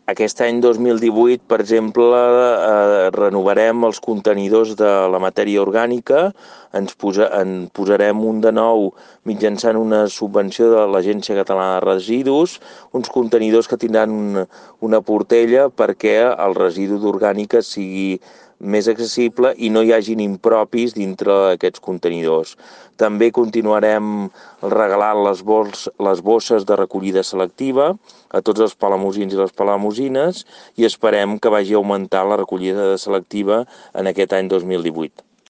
Aquest any 2018, per exemple, renovarem els contenidors de la matèria orgànica, en posarem un de nou mitjançant una subvenció de l'Agència Catalana de Residus, uns contenidors que tindran una portella perquè el residu d'orgànica sigui més accessible i no hi hagin impropis dintre d'aquests contenidors. També continuarem regalant les bosses de recollida selectiva a tots els palamosins i les palamosines i esperem que vagi augmentant la recollida selectiva en aquest any 2018.